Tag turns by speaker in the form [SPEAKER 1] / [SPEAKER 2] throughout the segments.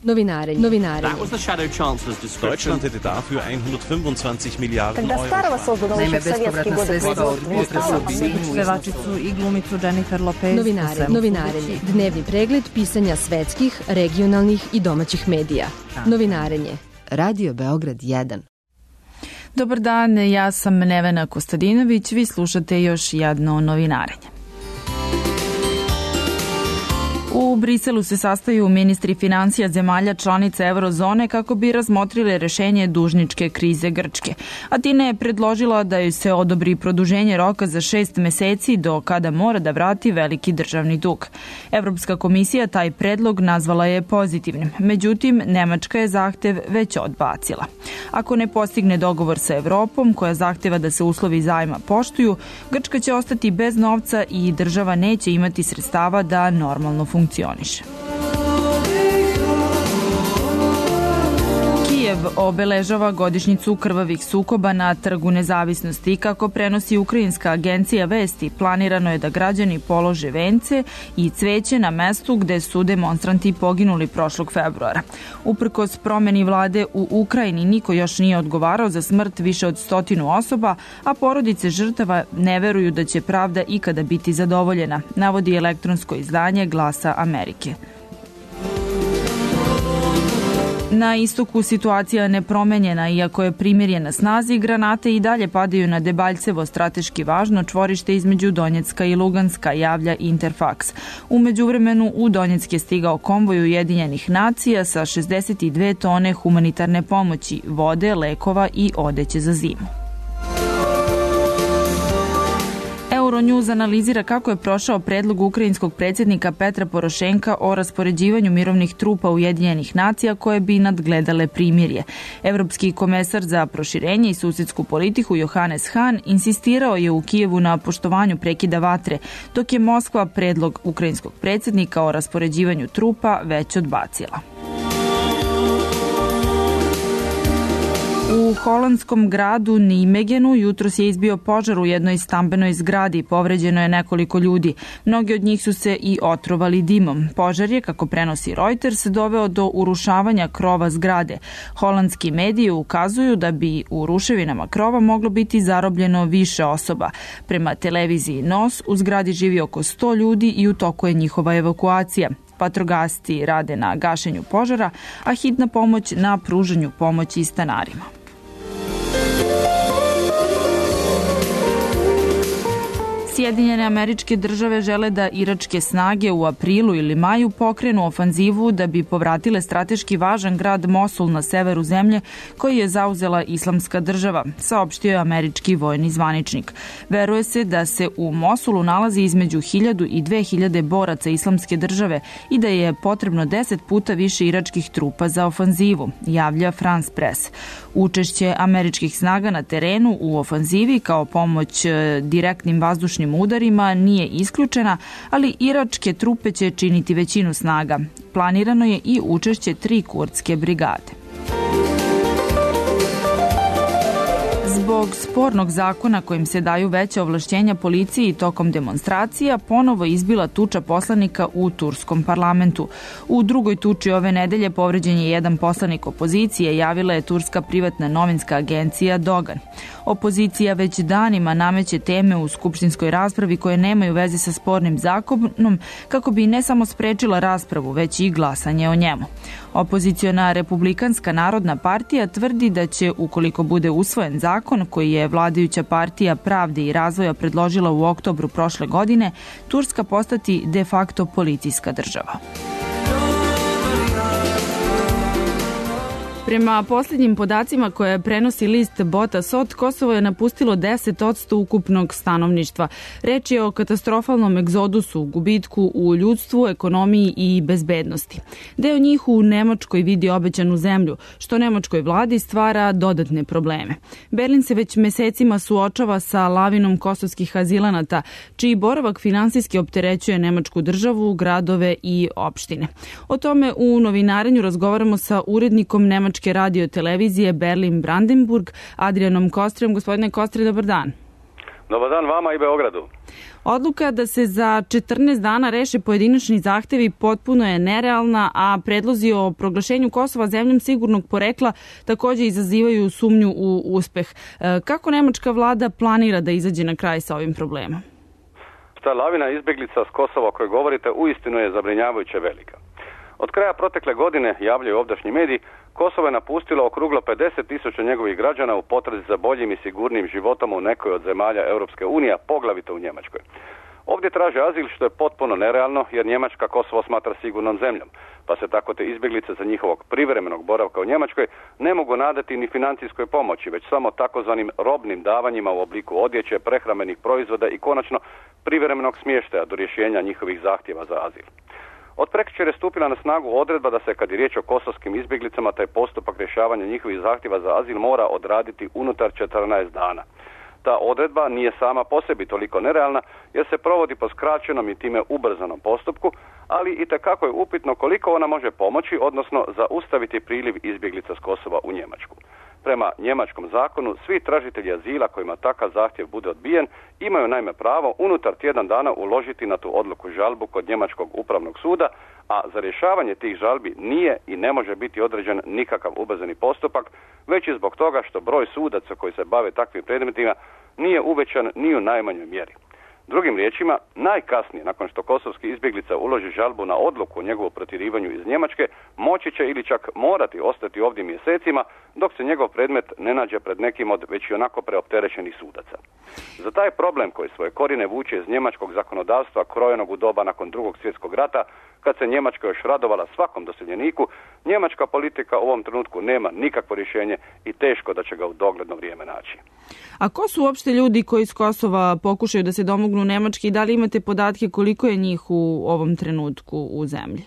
[SPEAKER 1] Novinarenje.
[SPEAKER 2] That was the Shadow Chancellor's description.
[SPEAKER 3] Deutschland hätte dafür 125 Milijarden
[SPEAKER 4] Когда
[SPEAKER 3] Euro.
[SPEAKER 4] Starova sozdana
[SPEAKER 5] Naime,
[SPEAKER 4] više sovjetski
[SPEAKER 5] bespovratna sredstva od budžeta pevačicu i glumicu Jennifer Lopez.
[SPEAKER 1] Novinarenje. Dnevni pregled pisanja svetskih, regionalnih i domaćih medija. Novinarenje. Radio Beograd 1.
[SPEAKER 6] Dobar dan, ja sam Nevena Kostadinović, vi slušate još jedno novinarenje. U Briselu se sastaju ministri financija zemalja članica eurozone kako bi razmotrile rešenje dužničke krize Grčke. Atina je predložila da joj se odobri produženje roka za 6 meseci do kada mora da vrati veliki državni dug. Evropska komisija taj predlog nazvala je pozitivnim, međutim Nemačka je zahtev već odbacila. Ako ne postigne dogovor sa Evropom, koja zahteva da se uslovi zajma poštuju, Grčka će ostati bez novca i država neće imati sredstava da normalno funkcioniše. Kijev obeležava godišnjicu krvavih sukoba na Trgu nezavisnosti. Kako prenosi ukrajinska agencija Vesti, planirano je da građani polože vence i cveće na mestu gde su demonstranti poginuli prošlog februara. Uprkos promeni vlade u Ukrajini, niko još nije odgovarao za smrt više od 100 osoba, a porodice žrtava ne veruju da će pravda ikada biti zadovoljena, navodi elektronsko izdanje Glasa Amerike. Na istoku situacija nepromenjena, iako je primirje na snazi, granate i dalje padaju na Debaljcevo, strateški važno čvorište između Donjecka i Luganska, javlja Interfax. U međuvremenu u Donjeck je stigao konvoj Ujedinjenih nacija sa 62 tone humanitarne pomoći, vode, lekova i odeće za zimu. Euronews analizira kako je prošao predlog ukrajinskog predsjednika Petra Porošenka o raspoređivanju mirovnih trupa Ujedinjenih nacija koje bi nadgledale primirje. Evropski komesar za proširenje i susjedsku politiku Johannes Hahn insistirao je u Kijevu na poštovanju prekida vatre, dok je Moskva predlog ukrajinskog predsjednika o raspoređivanju trupa već odbacila. U holandskom gradu Nijmegenu jutros je izbio požar u jednoj stambenoj zgradi. Povređeno je nekoliko ljudi. Mnogi od njih su se i otrovali dimom. Požar je, kako prenosi Reuters, doveo do urušavanja krova zgrade. Holandski mediji ukazuju da bi u ruševinama krova moglo biti zarobljeno više osoba. Prema televiziji NOS u zgradi živi oko 100 ljudi i u toku je njihova evakuacija. Vatrogasci rade na gašenju požara, a hitna pomoć na pružanju pomoći stanarima. Sjedinjene Američke Države žele da iračke snage u aprilu ili maju pokrenu ofanzivu da bi povratile strateški važan grad Mosul na severu zemlje koji je zauzela Islamska država, saopštio je američki vojni zvaničnik. Veruje se da se u Mosulu nalazi između 1000 i 2000 boraca Islamske države i da je potrebno 10 puta više iračkih trupa za ofanzivu, javlja France Press. Učešće američkih snaga na terenu u ofanzivi kao pomoć direktnim vazdušnim udarima nije isključena, ali iračke trupe će činiti većinu snaga. Planirano je i učešće 3 kurdske brigade. Zbog spornog zakona kojim se daju veća ovlašćenja policiji tokom demonstracija, ponovo izbila tuča poslanika u turskom parlamentu. U drugoj tuči ove nedelje povređen je jedan poslanik opozicije, javila je turska privatna novinska agencija Dogan. Opozicija već danima nameće teme u skupštinskoj raspravi koje nemaju veze sa spornim zakonom, kako bi ne samo sprečila raspravu, već i glasanje o njemu. Opoziciona Republikanska narodna partija tvrdi da će, ukoliko bude usvojen zakon koji je vladajuća partija Pravde i razvoja predložila u oktobru prošle godine, Turska postati de facto policijska država. Prema posljednjim podacima koje prenosi list Botasot, Kosovo je napustilo 10% ukupnog stanovništva. Reč je o katastrofalnom egzodusu, gubitku u ljudstvu, ekonomiji i bezbednosti. Deo njih u Nemačkoj vidi obećanu zemlju, što nemačkoj vladi stvara dodatne probleme. Berlin se već mesecima suočava sa lavinom kosovskih azilanata, čiji boravak finansijski opterećuje nemačku državu, gradove i opštine. O tome u novinarenju razgovaramo sa urednikom nemačke radio televizije Berlin Brandenburg, Adrianom Kostrem. Gospodine Kostre, dobar dan.
[SPEAKER 4] Dobar dan vama i Beogradu.
[SPEAKER 6] Odluka da se za 14 dana reše pojedinačni zahtevi potpuno je nerealna, a predlozi o proglašenju Kosova zemljom sigurnog porekla takođe izazivaju sumnju u uspeh. Kako nemačka vlada planira da izađe na kraj sa ovim problemom?
[SPEAKER 4] Ta lavina izbjeglica s Kosova o kojoj govorite uistinu je zabrinjavajuće velika. Od kraja protekle godine, javljaju ovdašnji mediji, Kosovo je napustilo okruglo 50.000 njegovih građana u potrazi za boljim i sigurnim životom u nekoj od zemalja Europske unije, poglavito u Njemačkoj. Ovdje traže azil, što je potpuno nerealno, jer Njemačka Kosovo smatra sigurnom zemljom, pa se tako te izbjeglice za njihovog privremenog boravka u Njemačkoj ne mogu nadati ni financijskoj pomoći, već samo takozvanim robnim davanjima u obliku odjeće, prehrambenih proizvoda i konačno privremenog smještaja do rješenja njihovih zahtjeva za azil. Od prekjučer je stupila na snagu odredba da se, kad je riječ o kosovskim izbjeglicama, taj postupak rješavanja njihovih zahtjeva za azil mora odraditi unutar 14 dana. Ta odredba nije sama po sebi toliko nerealna jer se provodi po skraćenom i time ubrzanom postupku, ali itekako je upitno koliko ona može pomoći, odnosno zaustaviti priliv izbjeglica s Kosova u Njemačku. Prema njemačkom zakonu, svi tražitelji azila kojima takav zahtjev bude odbijen imaju naime pravo unutar tjedan dana uložiti na tu odluku žalbu kod njemačkog upravnog suda, a za rješavanje tih žalbi nije i ne može biti određen nikakav ubrzani postupak, već i zbog toga što broj sudaca koji se bave takvim predmetima nije uvećan ni u najmanjoj mjeri. Drugim riječima, najkasnije nakon što kosovski izbjeglica uloži žalbu na odluku o njegovu protjerivanju iz Njemačke, moći će ili čak morati ostati ovdje mjesecima dok se njegov predmet ne nađe pred nekim od već i onako preopterećenih sudaca. Za taj problem koji svoje korijene vuče iz njemačkog zakonodavstva krojenog u doba nakon Drugog svjetskog rata, kad se Njemačka još radovala svakom doseljeniku, njemačka politika u ovom trenutku nema nikakvo rješenje i teško da će ga u dogledno vrijeme naći.
[SPEAKER 6] A ko su uopšte ljudi koji iz Kosova pokušaju da se domognu Nemačke i da li imate podatke koliko je njih u ovom trenutku u zemlji?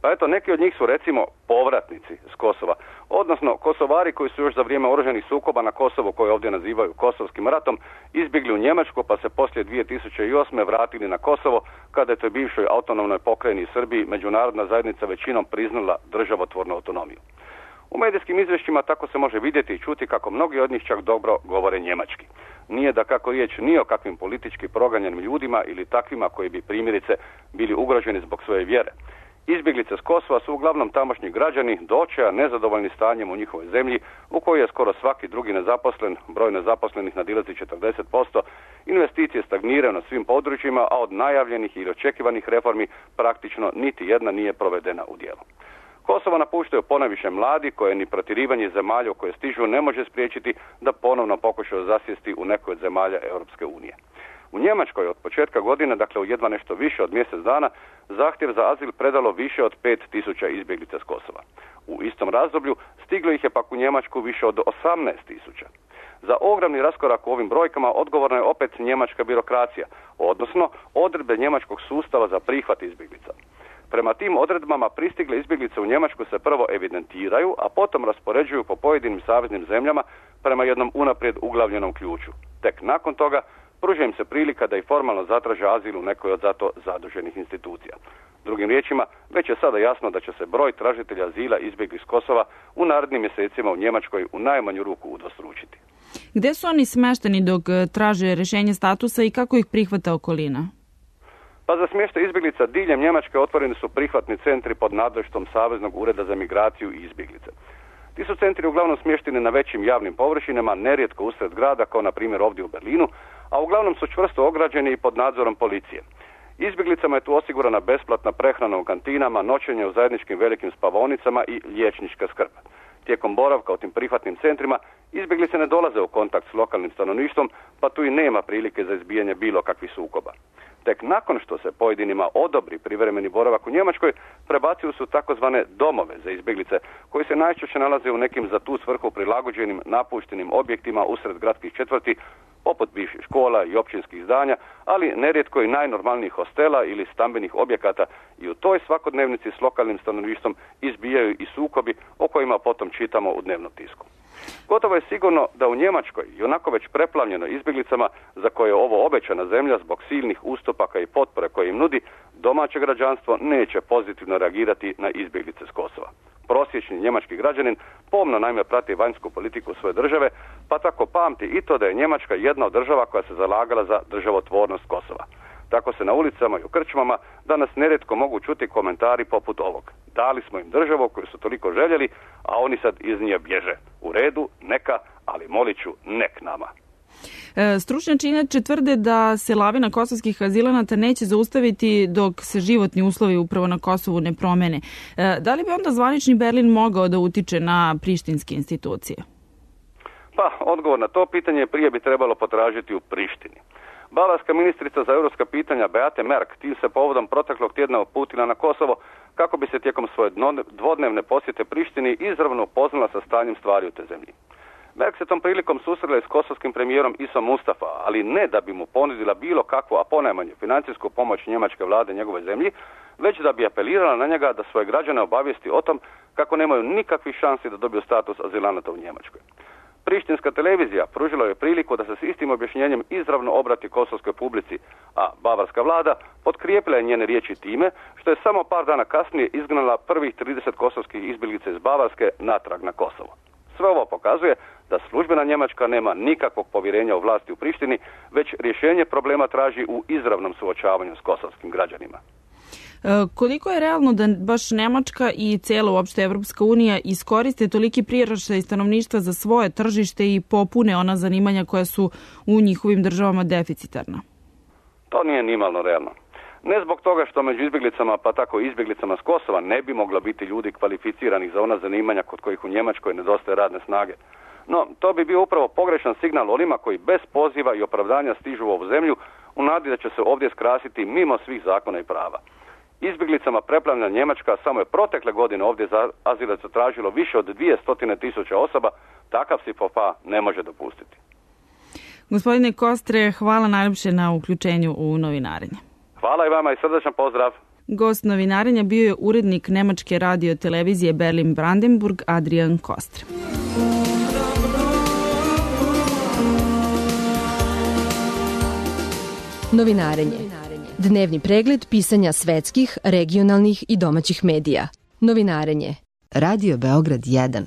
[SPEAKER 4] Pa eto, neki od njih su recimo povratnici s Kosova, odnosno Kosovari koji su još za vrijeme oružanih sukoba na Kosovu, koje ovdje nazivaju Kosovskim ratom, izbjegli u Njemačku pa se poslije 2008. vratili na Kosovo kada je toj bivšoj autonomnoj pokrajini Srbiji međunarodna zajednica većinom priznala državotvornu autonomiju. U medijskim izvješćima tako se može vidjeti i čuti kako mnogi od njih čak dobro govore njemački. Nije da kako riječ ni o kakvim politički proganjanim ljudima ili takvima koji bi primjerice bili ugroženi zbog svoje vjere. Izbjeglice s Kosova su uglavnom tamošnji građani, do očaja nezadovoljni stanjem u njihovoj zemlji, u kojoj je skoro svaki drugi nezaposlen, broj nezaposlenih nadilazi 40%, investicije stagniraju na svim područjima, a od najavljenih ili očekivanih reformi praktično niti jedna nije provedena u djelo. Kosovo napuštaju ponajviše mladi koje ni protjerivanje zemalja u koje stižu ne može spriječiti da ponovno pokušaju zasjesti u nekoj od zemalja Europske unije. U Njemačkoj od početka godine, dakle u jedva nešto više od mjesec dana, zahtjev za azil predalo više od 5.000 izbjeglica s Kosova. U istom razdoblju stiglo ih je pak u Njemačku više od 18.000. Za ogromni raskorak u ovim brojkama odgovorna je opet njemačka birokracija, odnosno odredbe njemačkog sustava za prihvat izbjeglica. Prema tim odredbama pristigle izbjeglice u Njemačku se prvo evidentiraju, a potom raspoređuju po pojedinim saveznim zemljama prema jednom unaprijed uglavljenom ključu. Tek nakon toga pruža im se prilika da i formalno zatraže azil u nekoj od zato zaduženih institucija. Drugim riječima, već je sada jasno da će se broj tražitelja azila izbjeglih s Kosova u narednim mjesecima u Njemačkoj u najmanju ruku udvostručiti.
[SPEAKER 6] Gdje su oni smešteni dok traže rješenje statusa i kako ih prihvata okolina?
[SPEAKER 4] Pa za smještaj izbjeglica diljem Njemačke otvoreni su prihvatni centri pod nadleštvom Saveznog ureda za migraciju i izbjeglice. Ti su centri uglavnom smješteni na većim javnim površinama, nerijetko usred grada, kao na primjer ovdje u Berlinu, a uglavnom su čvrsto ograđeni i pod nadzorom policije. Izbjeglicama je tu osigurana besplatna prehrana u kantinama, noćenje u zajedničkim velikim spavaonicama i liječnička skrb. Tijekom boravka u tim prihvatnim centrima izbjeglice ne dolaze u kontakt s lokalnim stanovništvom, pa tu i nema prilike za izbijanje bilo kakvih sukoba. Tek nakon što se pojedinima odobri privremeni boravak u Njemačkoj, prebacuju su takozvane domove za izbjeglice, koji se najčešće nalaze u nekim za tu svrhu prilagođenim napuštenim objektima usred gradskih četvrti, poput bivših škola i općinskih zdanja, ali nerijetko i najnormalnijih hostela ili stambenih objekata, i u toj svakodnevnici s lokalnim stanovništvom izbijaju i sukobi o kojima potom čitamo u dnevnom tisku. Gotovo je sigurno da u Njemačkoj, i onako već preplavljeno izbjeglicama za koje je ovo obećana zemlja zbog silnih ustupaka i potpore koje im nudi, domaće građanstvo neće pozitivno reagirati na izbjeglice s Kosova. Prosječni njemački građanin pomno naime prati vanjsku politiku svoje države, pa tako pamti i to da je Njemačka jedna od država koja se zalagala za državotvornost Kosova. Tako se na ulicama i u krčmama danas nerijetko mogu čuti komentari poput ovog. Dali smo im državu koju su toliko željeli, a oni sad iz nje bježe. U redu, neka, ali molit ću, nek nama.
[SPEAKER 6] Stručnjaci inače tvrde da se lavina kosovskih azilanata neće zaustaviti dok se životni uslovi upravo na Kosovu ne promene. Da li bi onda zvanični Berlin mogao da utiče na prištinske institucije?
[SPEAKER 4] Pa, odgovor na to pitanje prije bi trebalo potražiti u Prištini. Bavarska ministrica za europska pitanja Beate Merk tim se povodom proteklog tjedna uputila na Kosovo kako bi se tijekom svoje dvodnevne posjete Prištini izravno upoznala sa stanjem stvari u te zemlji. Merk se tom prilikom susrela s kosovskim premijerom Isom Mustafa, ali ne da bi mu ponudila bilo kakvu, a ponajmanje financijsku pomoć njemačke vlade njegove zemlji, već da bi apelirala na njega da svoje građane obavijesti o tom kako nemaju nikakvih šansi da dobiju status azilanata u Njemačkoj. Prištinska televizija pružila je priliku da se s istim objašnjenjem izravno obrati kosovskoj publici, a bavarska vlada potkrijepila je njene riječi time što je samo par dana kasnije izgnala prvih 30 kosovskih izbjeglica iz Bavarske natrag na Kosovo. Sve ovo pokazuje da službena Njemačka nema nikakvog povjerenja u vlasti u Prištini, već rješenje problema traži u izravnom suočavanju s kosovskim građanima.
[SPEAKER 6] Koliko je realno da baš Nemačka i cijela uopšte Evropska unija iskoriste toliki priraštaj stanovništva za svoje tržište i popune ona zanimanja koja su u njihovim državama deficitarna?
[SPEAKER 4] To nije nimalno realno. Ne zbog toga što među izbjeglicama, pa tako i izbjeglicama s Kosova, ne bi moglo biti ljudi kvalificiranih za ona zanimanja kod kojih u Njemačkoj nedostaje radne snage. No, to bi bio upravo pogrešan signal onima koji bez poziva i opravdanja stižu u ovu zemlju u nadi da će se ovdje skrasiti mimo svih zakona i prava. Izbjeglicama preplavljena Njemačka samo je protekle godine ovdje za azil tražilo više od 200.000 osoba, takav si popa ne može dopustiti.
[SPEAKER 6] Gospodine Kostre, hvala najljepše na uključenju u novinarenje.
[SPEAKER 4] Hvala i vama i srdečan pozdrav.
[SPEAKER 6] Gost novinarenja bio je urednik nemačke radio televizije Berlin Brandenburg Adrian Kostre.
[SPEAKER 1] Novinarenje. Dnevni pregled pisanja svetskih, regionalnih i domaćih medija. Novinarenje. Radio Beograd 1.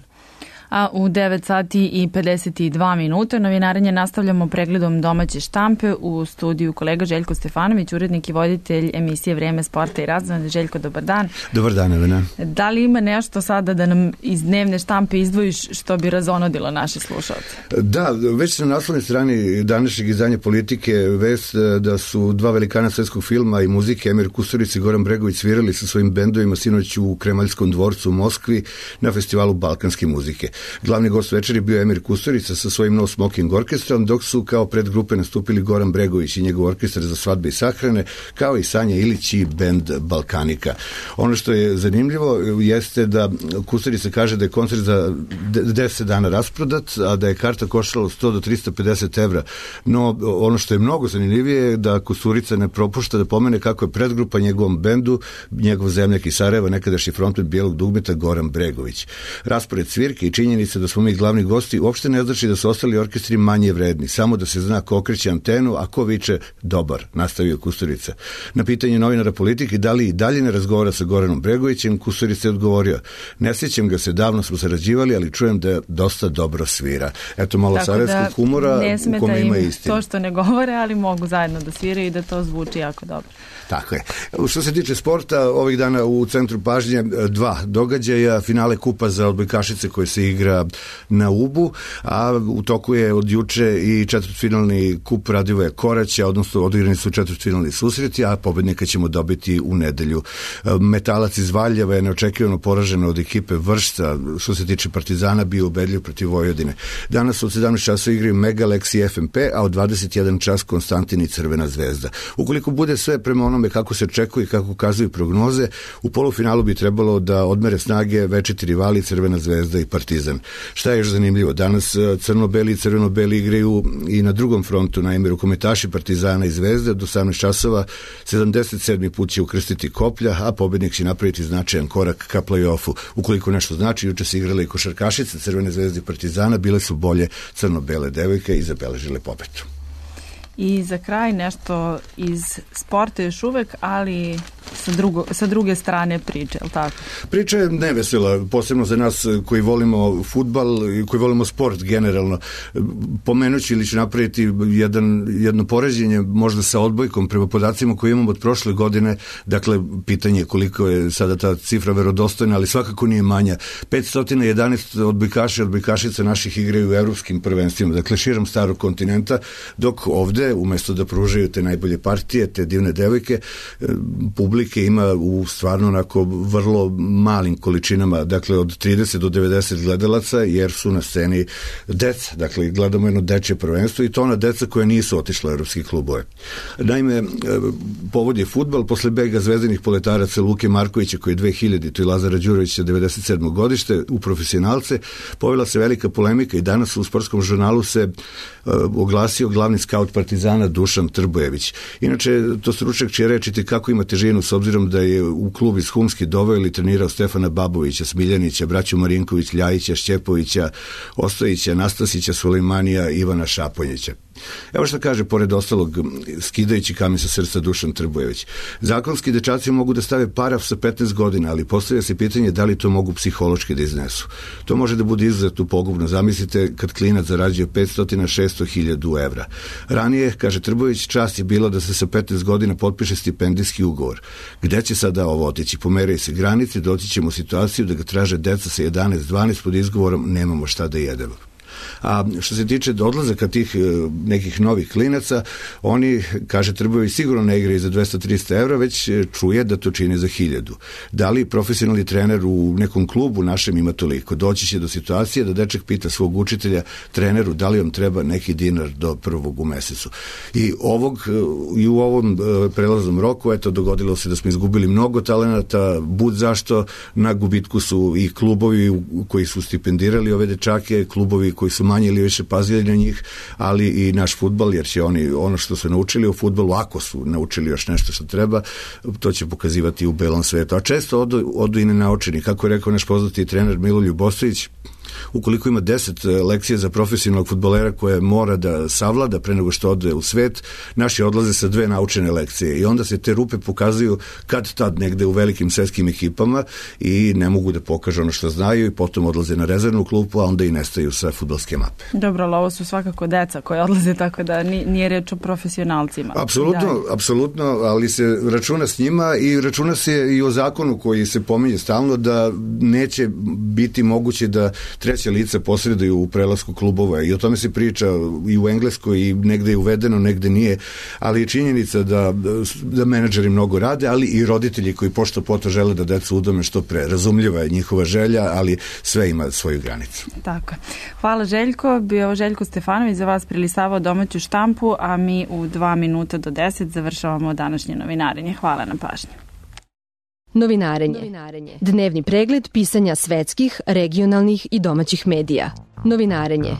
[SPEAKER 6] A u 9 sati i 52 minuta novinarenje nastavljamo pregledom domaće štampe u studiju kolega Željko Stefanović, urednik i voditelj emisije Vrijeme sporta i razvoja. Željko, dobar dan.
[SPEAKER 7] Dobar dan, Elena.
[SPEAKER 6] Da li ima nešto sada da nam iz dnevne štampe izdvojiš što bi razonodilo naše slušalce?
[SPEAKER 7] Da, već na naslovnoj strani današnjeg izdanja Politike vest da su dva velikana svetskog filma i muzike, Emir Kusturica i Goran Bregović, svirali sa svojim bendovima sinoć u Kremaljskom dvorcu u Moskvi na festivalu balkanske muzike. Glavni gost večeri bio Emir Kusturica sa svojim No Smoking orkestrom, dok su kao predgrupe nastupili Goran Bregović i njegov orkestar za svadbe i sahrane, kao i Sanja Ilić i bend Balkanika. Ono što je zanimljivo jeste da Kusturica kaže da je koncert za 10 dana rasprodat, a da je karta koštala 100 do 350 evra. No, ono što je mnogo zanimljivije je da Kusturica ne propušta da pomene kako je predgrupa njegovom bendu, njegov zemljak iz Sarajeva, nekadašnji frontmen Bijelog dugmeta Goran Bregović. Raspored svirke i činjenica da smo mi glavni gosti uopšte ne znači da su ostali orkestri manje vredni, samo da se zna ko okreće antenu, a ko viče dobar, nastavio Kusturica. Na pitanje novinara Politike da li i dalje ne razgovara sa Goranom Bregovićem, Kusturica je odgovorio: ne sjećam ga se, davno smo sarađivali, ali čujem da dosta dobro svira. Eto malo sarajevskog humora u kome ima istine.
[SPEAKER 6] To što ne govore, ali mogu zajedno da sviraju i da to zvuči jako dobro.
[SPEAKER 7] Tako je. Što se tiče sporta, ovih dana u centru pažnje dva događaja, finale kupa za odbojkašice koje se igra na Ubu, a u toku je od juče i četvrtfinalni kup Radivoja Koraća, odnosno odigrani su četvrtfinalni susreti, a pobednika ćemo dobiti u nedelju. Metalac iz Valjeva je neočekivano poražen od ekipe Vršca, što se tiče Partizana, bio ubedljiv protiv Vojvodine. Danas od 17 časa igraju Megalex i FNP, a od 21 čas Konstantin i Crvena zvezda. Ukoliko bude sve prema onome kako se očekuje i kako ukazuju prognoze, u polufinalu bi trebalo da odmere snage večiti rivali Crvena zvezda i Partizan. Šta je još zanimljivo? Danas crno-beli i crveno-beli igraju i na drugom frontu, naime rukometaši Partizana i Zvezde do 18 časova, 77. put će ukrstiti koplja, a pobednik će napraviti značajan korak ka play-offu. Ukoliko nešto znači, juče se igrale i košarkašice Crvene zvezde i Partizana, bile su bolje crno-bele devojke i zabeležile pobedu.
[SPEAKER 6] I za kraj nešto iz sporta još uvek, ali sa druge strane priče, je li tako?
[SPEAKER 7] Priča je nevesela, posebno za nas koji volimo fudbal i koji volimo sport generalno. Pomenući ili ću napraviti jedno poređenje možda sa odbojkom prema podacima koje imamo od prošle godine, dakle pitanje koliko je sada ta cifra verodostojna, ali svakako nije manja. 511 odbojkaša i odbojkašica naših igraju u evropskim prvenstvima, dakle širom starog kontinenta, dok ovde, umesto da pružaju te najbolje partije, te divne devojke, publike ima u stvarno onako vrlo malim količinama, dakle od 30 do 90 gledalaca, jer su na sceni deca, dakle gledamo jedno dečje prvenstvo i to ona deca koja nisu otišla u evropski klubove. Naime, povod je fudbal, posle bega zvezdanih poletaraca Luke Markovića koji je 2000 i Lazara Đurovića 97. godište u profesionalce, povela se velika polemika i danas u sportskom žurnalu se oglasio glavni skaut Partizana Dušan Trbojević. Inače, to stručnjak će rečiti kako ima težinu s obzirom da je u klub iz Humski doveo ili trenirao Stefana Babovića, Smiljanića, braću Marinković, Ljajića, Šćepovića, Ostojića, Nastasića, Sulejmanija, Ivana Šaponjića. Evo što kaže, pored ostalog, skidajući kamen sa srca Dušan Trbojević. Zakonski dečaci mogu da stave paraf sa 15 godina, ali postavlja se pitanje da li to mogu psihološki da iznesu. To može da bude izuzetno pogubno. Zamislite kad klinac zarađuje 500-600.000 evra. Ranije, kaže Trbojević, čast je bila da se sa 15 godina potpiše stipendijski ugovor. Gde će sada ovo otići? Pomeraju se granice, doći ćemo u situaciju da ga traže deca sa 11-12 pod izgovorom nemamo šta da jedemo. A što se tiče odlazaka tih nekih novih klinaca, oni, kaže Trbojević, sigurno ne igraju za 200-300 evra, već čuje da to čini za 1000. Da li profesionalni trener u nekom klubu našem ima toliko? Doći će do situacije da dečak pita svog učitelja, treneru, da li vam treba neki dinar do 1. u mesecu. I u ovom prelaznom roku, eto, dogodilo se da smo izgubili mnogo talenata, bud zašto, na gubitku su i klubovi koji su stipendirali ove dečake, klubovi koji su manje ili više pazili na njih, ali i naš fudbal, jer će oni ono što su naučili u fudbalu, ako su naučili još nešto što treba, to će pokazivati u belom svetu. A često odu i nenaučeni. Kako je rekao naš poznati trener Milo Ljubostović, ukoliko ima 10 lekcija za profesionalnog fudbalera koje mora da savlada pre nego što ode u svet, naši odlaze sa 2 naučene lekcije i onda se te rupe pokazuju kad tad negde u velikim svetskim ekipama i ne mogu da pokažu ono što znaju i potom odlaze na rezervnu klupu, a onda i nestaju sa fudbalske mape.
[SPEAKER 6] Dobro, ali ovo su svakako deca koje odlaze, tako da nije reč o profesionalcima.
[SPEAKER 7] Apsolutno, ali se računa s njima i računa se i o zakonu koji se pominje stalno da neće biti moguće da treća lica posreduju u prelasku klubova i o tome se priča i u Engleskoj i negde je uvedeno, negde nije, ali je činjenica da menadžeri mnogo rade, ali i roditelji koji pošto poto žele da decu udome što pre. Razumljiva je njihova želja, ali sve ima svoju granicu.
[SPEAKER 6] Tako. Hvala Željko. Bio Željko Stefanović za vas prilistavao domaću štampu, a mi u 2 minuta do 10 završavamo današnje novinarenje. Hvala na pažnji.
[SPEAKER 1] Novinarenje. Dnevni pregled pisanja svetskih, regionalnih i domaćih medija. Novinarenje.